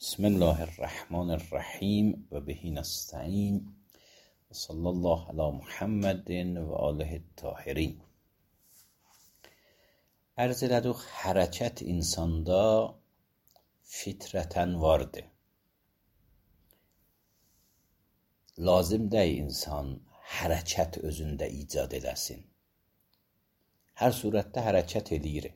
بسم الله الرحمن الرحیم و به نستعین و صلی الله علی محمد و آله الطاهرین. Ərzələdik hərəkət insanda fitrətən vardır. Lazım deyil insan hərəkət özündə icad eləsin. Hər surətdə hərəkət eləyir.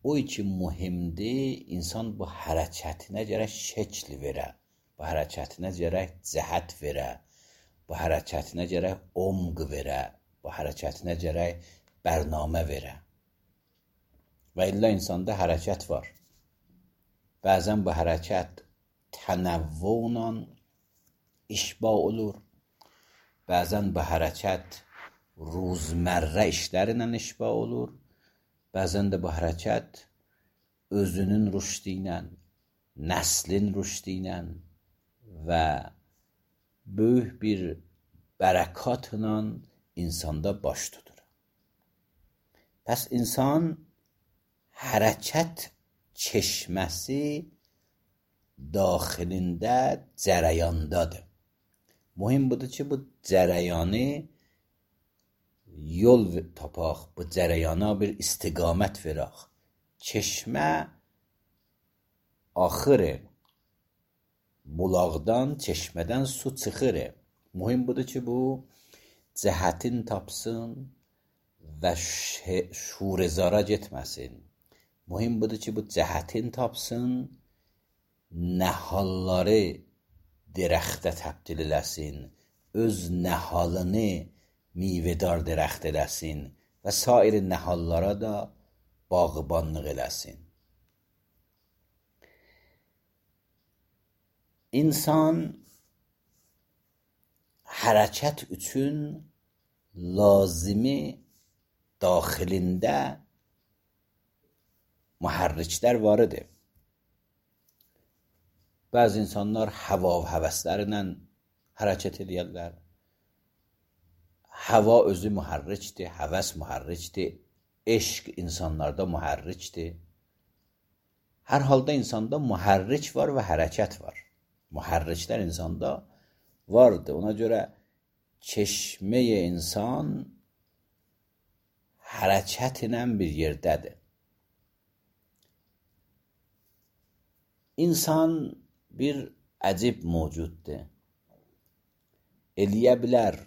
O için mühimdir insan bu hərəkətinə görə şəkl verə, bu hərəkətinə görə cəhət verə, bu hərəkətinə görə omq verə, bu hərəkətinə görə bərnamə verə. Və illa insanda hərəkət var. Bəzən bu hərəkət tənəvvülə işba olur. Bəzən bu hərəkət ruzmərrə işlərlə işba olur. Bəzən də bu hərəkət özünün rüşdi ilə, nəslin rüşdi ilə və böyük bir bərəkatla insanda baş tutur. Pəs insan hərəkət çeşməsi daxilində cərəyandadır. Mühim budur ki, bu cərəyanı yol tapaq, bu cərəyana bir istiqamət verək. Çeşmə axır, bulaqdan, çeşmədən su çıxır. Mühim budur ki, bu cəhətin tapsın və şurezara getməsin. Mühim budur ki, bu cəhətin tapsın, nəhalları dirəxtə təbdil eləsin, öz nəhalını meyvedar dərəxt eləsin və sair nəhallara da bağbanlıq eləsin. İnsan hərəkət üçün lazımi daxilində mühərriklər var idi. Bəzi insanlar hava və həvəslərlə hərəkət edirlər. Hava özü mühərrikdir, həvəs mühərrikdir, eşq insanlarda mühərrikdir. Hər halda insanda mühərrik var və hərəkət var. Mühərriklər insanda vardır. Ona görə çeşməyə insan hərəkət ilə bir yerdədir. İnsan bir əcib mövcuddur. Eləyə bilər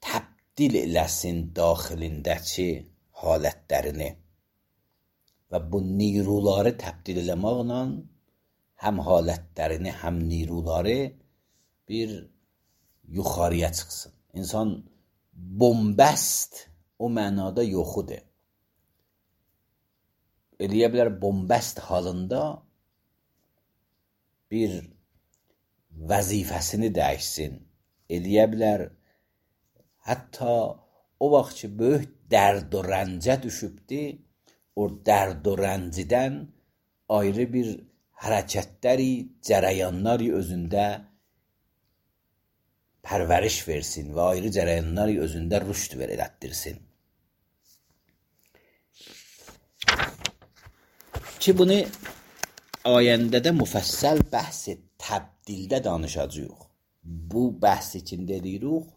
təbdil eləsin daxilindəki halətlərini və bu neyruları təbdil eləməklə həm halətlərini, həm neyruları bir yuxarıya çıxsın. İnsan bombəst o mənada yoxudur. Eləyə bilər bombəst halında bir vəzifəsini dəyişsin. Eləyə bilər hətta o vaxt ki, böyük dərd və rəncə düşübdür, o dərd və rəncidən ayrı bir hərəkətləri, cərəyanları özündə pərvəriş versin və ayrı cərəyanları özündə rüşd elətdirsin. Ki, bunu ayəndə də müfəssəl bəhs təbdildə danışacağıq. Bu bəhs içində deyirik,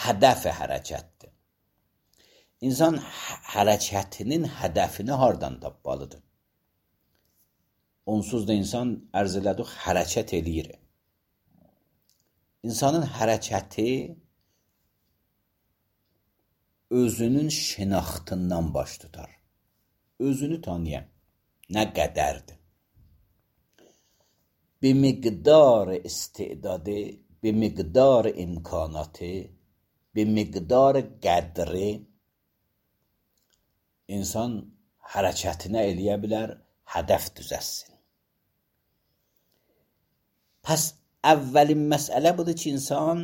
hədəf hərəkətdir. İnsan hərəkətinin hədəfini hardan tapmalıdır? Onsuz da insan ərz elədik hərəkət eləyir. İnsanın hərəkəti özünün şinaxtından baş tutar. Özünü tanıyan nə qədərdir? Bir miqdar istidadı, bir miqdar imkanatı, bir miqdar qədri insan hərəkətinə eləyə bilər, hədəf düzəsin. Pəs əvvəlin məsələ budur ki, insan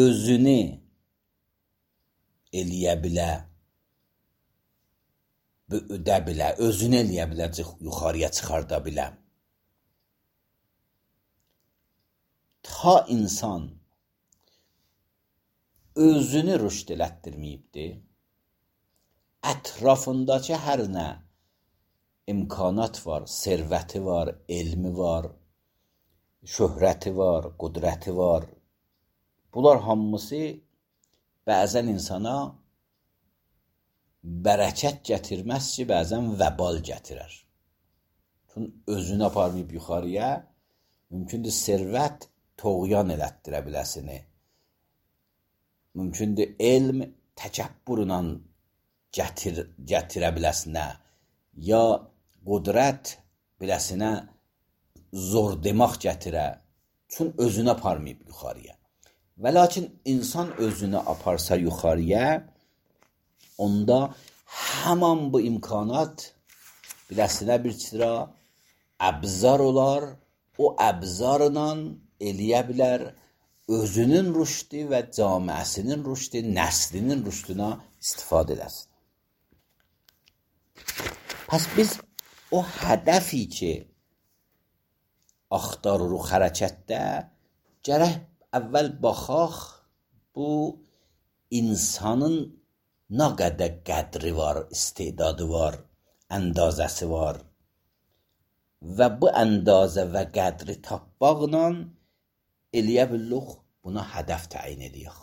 özünü eləyə bilər, böyüdə bilər, özünü eləyə bilər, yuxarıya çıxarda bilər. Ta insan özünü rüşd elətdirməyibdir, ətrafındakı hər nə imkanat var, servəti var, elmi var, şöhrəti var, qudrəti var. Bunlar hamısı bəzən insana bərəkət gətirməz ki, bəzən vəbal gətirər. Çünki özünü aparmayıb yuxarıya, mümkündür servət toğyan elətdirə biləsini. Mümkündür elm təkəbbürlə gətirə biləsinə, ya qudrət biləsinə zor demək gətirə, çünki özünü aparmayıb yuxarıya. Və lakin insan özünü aparsa yuxarıya, onda həman bu imkanat biləsinə bir sıra əbzar olar, o əbzarla eləyə bilər özünün rüşdü və camiəsinin rüşdü, nəslinin rüşdünə istifadə eləsin. Pəs biz o hədəfi ki, axtarırıq hərəkətdə, gərək əvvəl baxaq bu insanın nə qədər qədri var, istedadı var, əndazəsi var və bu əndazə və qədri tapmaqla eləyə bilirik, buna hədəf təyin edək.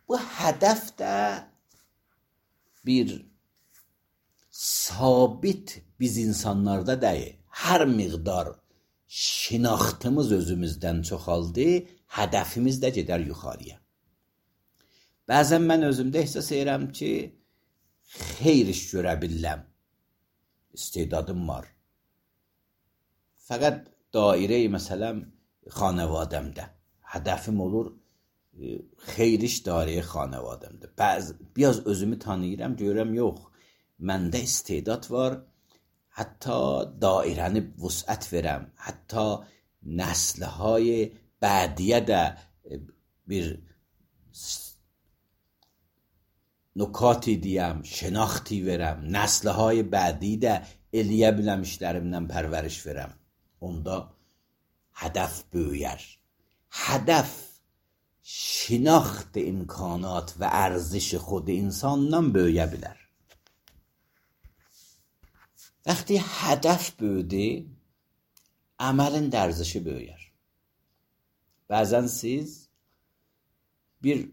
Bu hədəf də bir sabit biz insanlarda deyil. Hər miqdar şinaxtımız özümüzdən çoxaldı, hədəfimiz də gedər yuxarıya. Bəzən mən özümdə ehsas edirəm ki, xeyr iş görə bilirəm. İstedadım var. Fəqət dairəyi məsələn xanəvadəmdə. Hədəfim olur xeyr iş dairəyi xanəvadəmdə. Biraz özümü tanıyıram, görürəm yox. Məndə istedad var. Hətta dairəni vüsət verəm. Hətta nəsliهای bədiyə də bir nukati deyəm, şinaxti verəm. Nəsliهای bədi də eləyə biləm işlərimdən pərvəriş verəm. Onda hədəf böyüyər. Hədəf şinaxt imkanat və ərziş xود insandan böyüyə bilər. Vəqti hədəf böyüdü, əməlin dərzişi böyüyər. Bəzən siz bir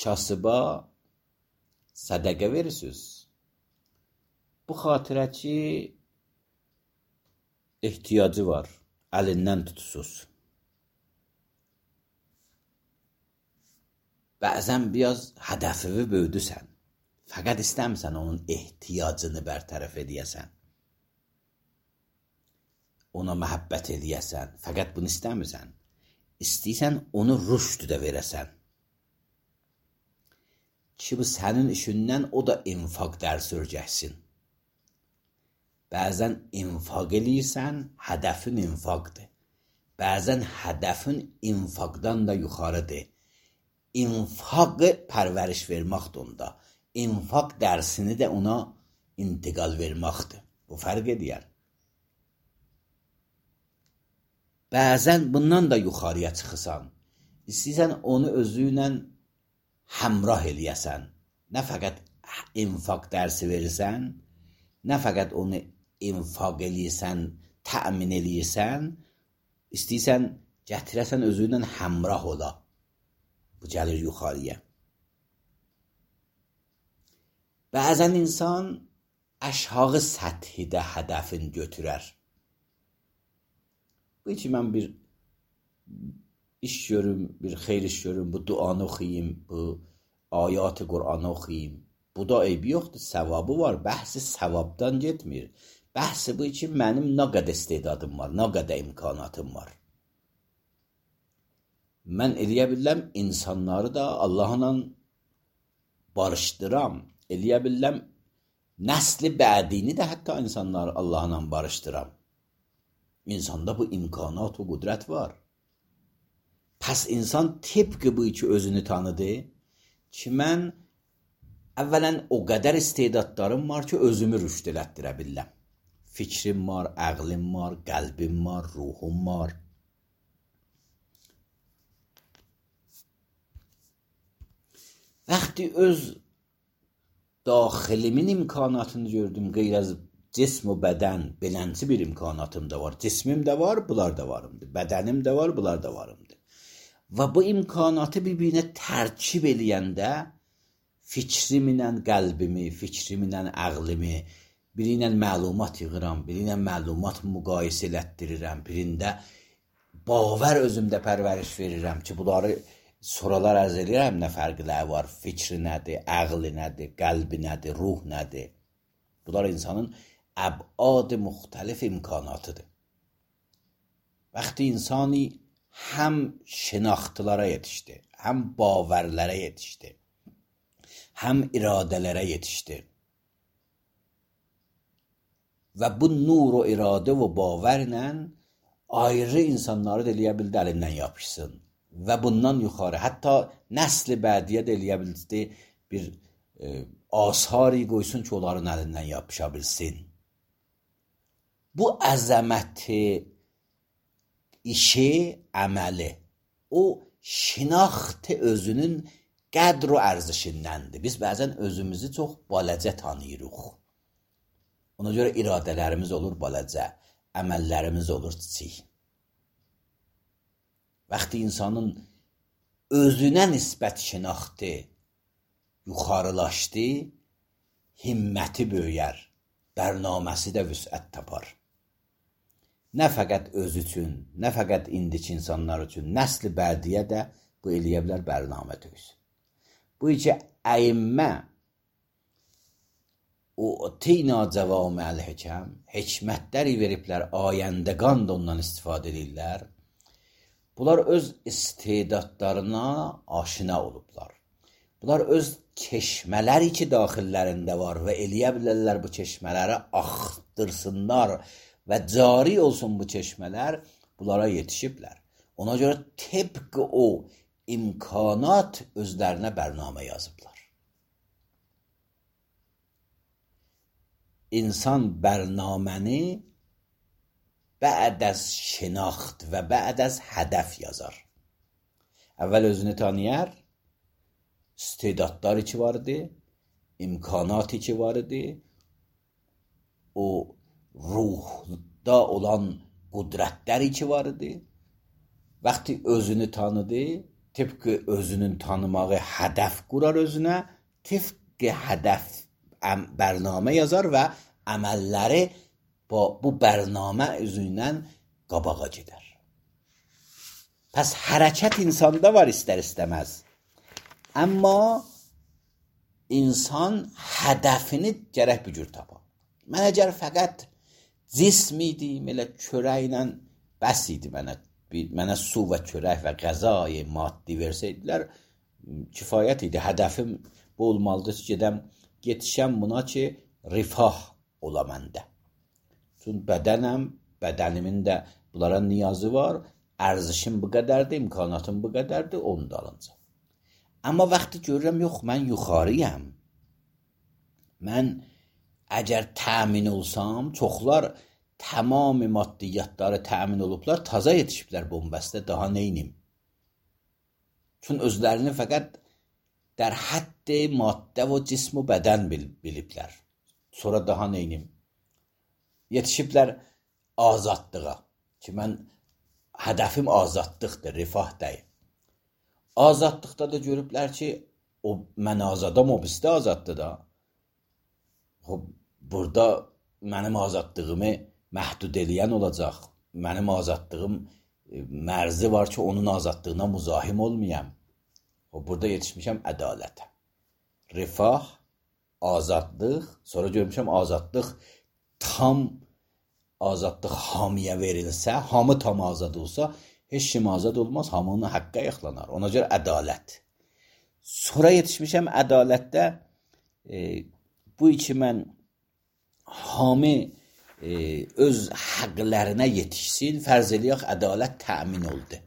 kasıba sədəqə verirsiniz. Bu xatirə ki, ehtiyacı var, əlindən tutursuz. Bəzən biraz hədəfivi böyüdüsən. Fəqət istəmirsən onun ehtiyacını bərtərəf edəyəsən. Ona məhəbbət edəyəsən. Fəqət bunu istəmirsən. İstəyirsən onu rüşd də verəsən. Ki bu sənin işindən o da infaq dərsi örgəksin. Bəzən infaq eləyirsən, hədəfin infaqdır. Bəzən hədəfin infaqdan da yuxarıdır. İnfaqı pərvəriş verməkdir onda. İnfaq dərsini də ona intiqal verməkdir. Bu fərq edir. Bəzən bundan da yuxarıya çıxırsan. İstəyirsən onu özü ilə həmrah eləyəsən. Nə fəqət infaq dərsi verirsən, nə fəqət onu infaq eləyirsən, təmin eləyirsən, istəyirsən gətirəsən özü ilə həmrah ola. Bu gəlir yuxarıya. Bəzən insan aşağı səthidə hədəfini götürər. Bu ki, mən bir iş görüm, bir xeyr iş görüm, bu duanı oxuyayım, bu ayat-ı Qur'anı oxuyayım. Bu da eybi yoxdur, səvabı var. Bəhsi səvabdan getmir. Bəhsi bu ki, mənim nə qədər istedadım var, nə qədər imkanatım var. Mən eləyə biləm, insanları da Allahla barışdıram. Eləyə biləm, nəsli bədini də hətta insanları Allahla barışdıram. İnsanda bu imkanat və qudrət var. Pəs insan tıpkı bu ki özünü tanıdı ki, mən əvvələn o qədər istedadlarım var ki, özümü rüşd elətdirə biləm. Fikrim var, əqlim var, qəlbim var, ruhum var. Vəqti öz daxilimin imkanatını gördüm, qeyr az cism və bədən belənçi bir imkanatım da var. Cismim də var, bunlar da varımdır. Bədənim də var, bunlar da varımdır. Və bu imkanatı bir-birinə tərkib eləyəndə fikrimlə qəlbimi, fikrimlə ağlımı, biri ilə məlumat yığıram, biri ilə məlumat müqayisə elətdirirəm, birində bavər özümdə pərvəriş verirəm ki, bunları soralar ərz edirəm, nə fərqləri var, fikri nədir, ağlı nədir, qəlbi nədir, ruh nədir. Bunlar insanın əbad müxtəlif imkanatıdır. Vəqti insani həm şinaxtılara yetişdi, həm bavərlərə yetişdi, həm iradələrə yetişdi. Və bu nur o iradə və bavərlə ayrı insanları da eləyə bildi, əlindən yapışsın. Və bundan yuxarı, hətta nəsli bədiyə də eləyə bildi, bir asari qoysun ki, onların əlindən yapışa bilsin. Bu əzəməti, işi, əməli, o şinaxtı özünün qədr və ərzişindəndir. Biz bəzən özümüzü çox balacə tanıyırıq. Ona görə iradələrimiz olur balacə, əməllərimiz olur kiçik. Vəqti insanın özünə nisbət şinaxtı yuxarılaşdı, himməti böyüyər, bərnaməsi də vüsət tapar. Nə fəqət öz üçün, nə fəqət indiki insanlar üçün, nəsli bədiyə də bu eləyə bilər, bərnamə döysün. Bu iki əyimmə o tina cəvami əl-həkəm, hikmətləri veriblər, ayəndəqan da ondan istifadə edirlər. Bunlar öz istedadlarına aşina olublar. Bunlar öz çeşmələri ki, daxillərində var və eləyə bilərlər bu çeşmələri axtırsınlar və cari olsun bu çeşmələr, bunlara yetişiblər. Ona görə təbqi o imkanat özlərinə bərnamə yazıblar. İnsan bərnaməni bə'd az şinaxt və bə'd az hədəf yazar. Əvvəl özünü tanıyar, istedadları ki var idi, imkanatı ki var idi, o ruhda olan qudrətləri ki var idi. Vəqti özünü tanıdı, tıpkı özünün tanımağı hədəf qurar özünə, tıpkı hədəf bərnamə yazar və əməlləri bu bərnamə üzündən qabağa gedər. Pəs hərəkət insanda var istər istəməz. Amma insan hədəfini gərək bir cür tapar. Mən əgər fəqət cism idim, elə çörəklə bəs idi mənə su və çörək və qəzayı maddi versəydilər, kifayət idi. Hədəfim bu olmalıdır ki, yetişəm buna ki, rifah ola məndə. Çünki bədənəm, bədənimin də bunlara niyazı var, ərzişim bu qədərdir, imkanatım bu qədərdir, onu da alınacaq. Amma vaxtı görürəm, yox, mən yuxarıyam. Mən əgər təmin olsam, çoxlar tamam maddiyyatları təmin olublar, taza yetişiblər bombəstə, daha neynim? Çünki özlərini fəqət در حد maddə və cism və bədən biliblər. Sonra daha neynim? Yetişiblər azadlığa. Ki, mən hədəfim azadlıqdır, rifah deyil. Azadlıqda da görüblər ki, mən azadam, o bizdə azaddır da. Burada mənim azadlığımı məhdud eləyən olacaq. Mənim azadlığım mərzi var ki, onun azadlığına müzahim olmayam. Burada yetişmişəm ədalətə. Rifah, azadlıq, sonra görmüşəm azadlıq tam azadlıq hamiyə verilsə, hamı tam azad olsa, heç kim azad olmaz, hamının haqqa yaxlanar. Ona görə ədalət. Sonra yetişmişəm ədalətdə bu iki mən hamı öz haqlarına yetişsin, fərz eləyək ədalət təmin oldu.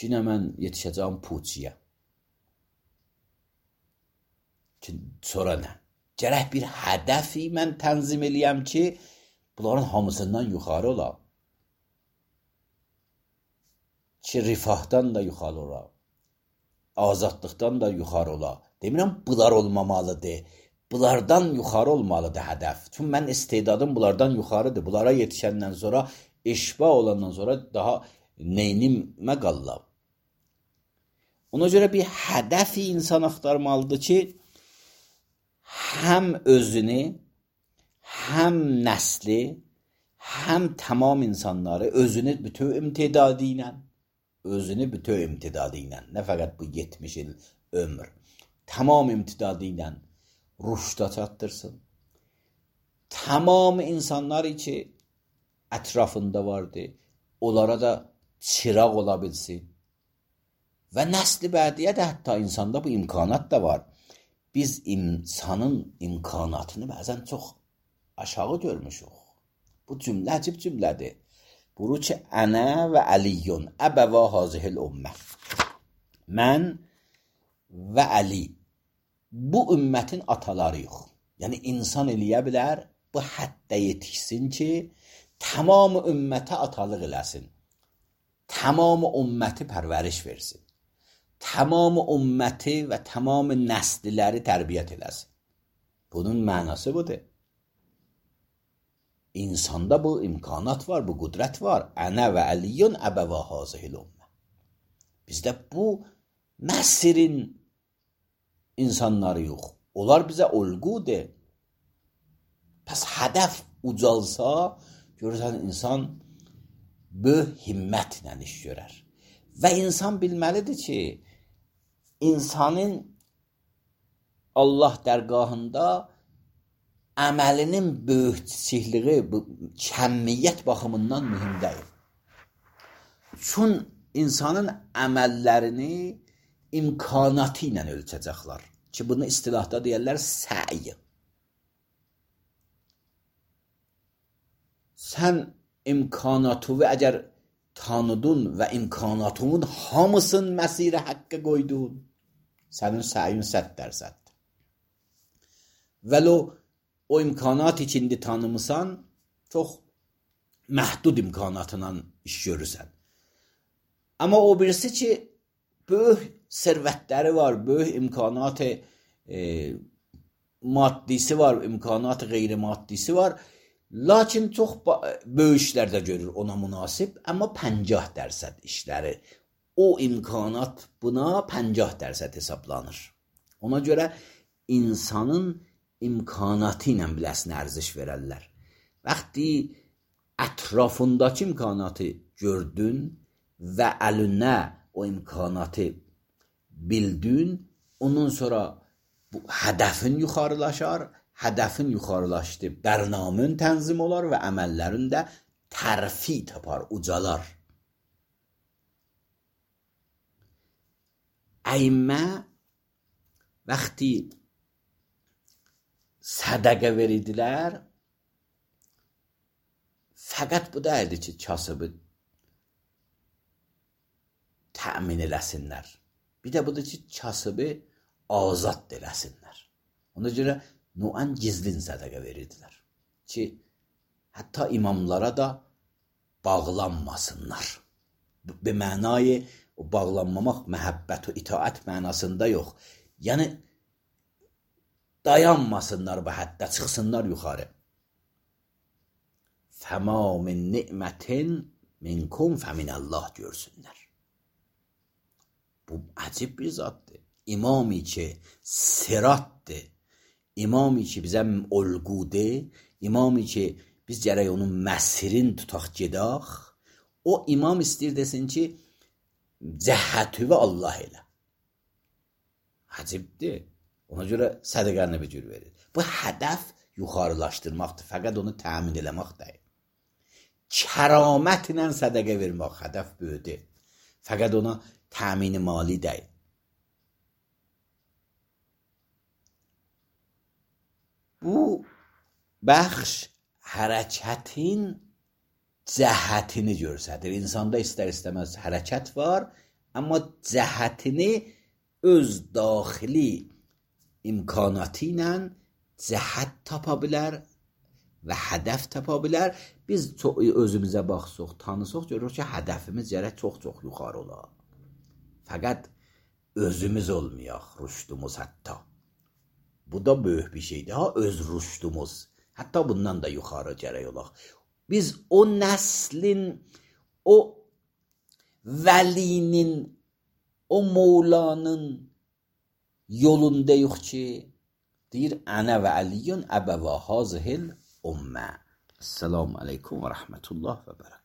Yine mən yetişəcəm puçiyə. Sonra nə? Gərək bir hədəfi mən tənzim eləyəm ki, bunların hamısından yuxarı olam. Ki, rifahdan da yuxarı olam. azadlıqdan da yuxarı ola. Demirəm, bunlar olmamalıdır. Bunlardan yuxarı olmalıdır hədəf. Çünki mən istedadım bunlardan yuxarıdır. Bunlara yetişəndən sonra, eşba olandan sonra daha neynimə qallam. Ona görə bir hədəfi insan axtarmalıdır ki, həm özünü, həm nəsli, həm tamam insanları özünü bütöv imtidadı ilə, nə fəqət bu 70 il ömür, tamam imtidadı ilə rüşda çatdırsın. Tamam insanlar ki ətrafında vardı, onlara da çıraq ola bilsin. Və nəsli bədiyə də hətta insanda bu imkanat da var. Biz insanın imkanatını bəzən çox aşağı görmüşük. Bu cümlə əcib cümlədir. Buru ki, ənə və əliyyun, əbəvə hazihil ümmə. Mən və Əli, bu ümmətin atalarıyıq. Yəni, insan eləyə bilər, bu həddə yetişsin ki, tamamı ümmətə atalıq eləsin. Tamamı ümməti pərvəriş versin. Tamamı ümməti və tamamı nəsliləri tərbiyyət eləsin. Bunun mənası budur. İnsanda bu imkanat var, bu qüdrət var. Ənə və əliyyun əbəvə hazihil ümmə. Bizdə bu Məsirin insanları yox. Onlar bizə olğudur. Pəs hədəf ucalsa, görürsən insan böyük himmətlə iş görər. Və insan bilməlidir ki, insanın Allah dərgahında əməlinin böyükçiliyi, kəmiyyət baxımından mühüm deyil. Çünki insanın əməllərini imkanatı ilə ölçəcəklər. Ki, bunu istilahda deyərlər səy. Sən imkanatını əgər tanıdın və imkanatının hamısını məsirə haqqə qoydun, sənin səyin 100%. Vəlo o imkanat içində tanımısan, çox məhdud imkanatla iş görürsən. Amma o birisi ki, böyük sərvətləri var, böyük imkanatı maddisi var, imkanatı qeyri-maddisi var. Lakin çox böyük işlər də görür ona münasib, amma 50% işləri. O imkanat buna 50% hesablanır. Ona görə insanın imkanatı ilə biləsinə ərziş verərlər. Vaxtı ətrafındakı imkanatı gördün və əlinə o imkanatı bildin, ondan sonra bu hədəfin yuxarılaşar, hədəfin yuxarılaşdı, bərnamın tənzim olar və əməllərin də tərfi tapar, ucalar. Əymə vaxtı sədəqə verirdilər, fəqət bu deyildi ki, kasıbı təmin eləsinlər. Bir də budur ki, kasıbı azad eləsinlər. Ona görə nuan gizlin sədəqə verirdilər. Ki, hətta imamlara da bağlanmasınlar. Bir mənayı o bağlanmamaq, məhəbbət və itaət mənasında yox. Yəni, dayanmasınlar bu həddə, çıxsınlar yuxarı. Fəma min ni'mətin minkum fəminəllah görsünlər. Bu əcib bir zaddır. İmami ki, siratdır. İmami ki, bizə olğudur. İmami ki, biz gərək onun məsirin tutaq gedək. O imam istəyir desin ki, cəhətü və Allah elə. Əcibdir. Ona görə sədəqəni bir cür verir. Bu hədəf yuxarılaşdırmaqdır. Fəqət onu təmin eləmək deyil. Kəramətlə sədəqə vermək hədəf böyüdür. Fəqət ona təmin-i mali deyil. Bu bəxş hərəkətin cəhətini görsədir. İnsanda istər-istəməz hərəkət var, amma cəhətini öz daxili imkanatı ilə cəhət tapa bilər və hədəf tapa bilər. Biz özümüzə baxsaq, tanısaq, görürük ki, hədəfimiz gərək çox-çox yuxarı olar. Fəqət özümüz olmayaq, rüşdümüz hətta. Bu da böyük bir şeydir ha, öz rüşdümüz. Hətta bundan da yuxarı gərək olaq. Biz o nəslin, o vəlinin, o Mevlanın yolundayıq ki, deyir, ənə və əliyyün əbəvə hazihil ümmə. Esselamu aleykum və rəhmətullah və bərəkətuhu.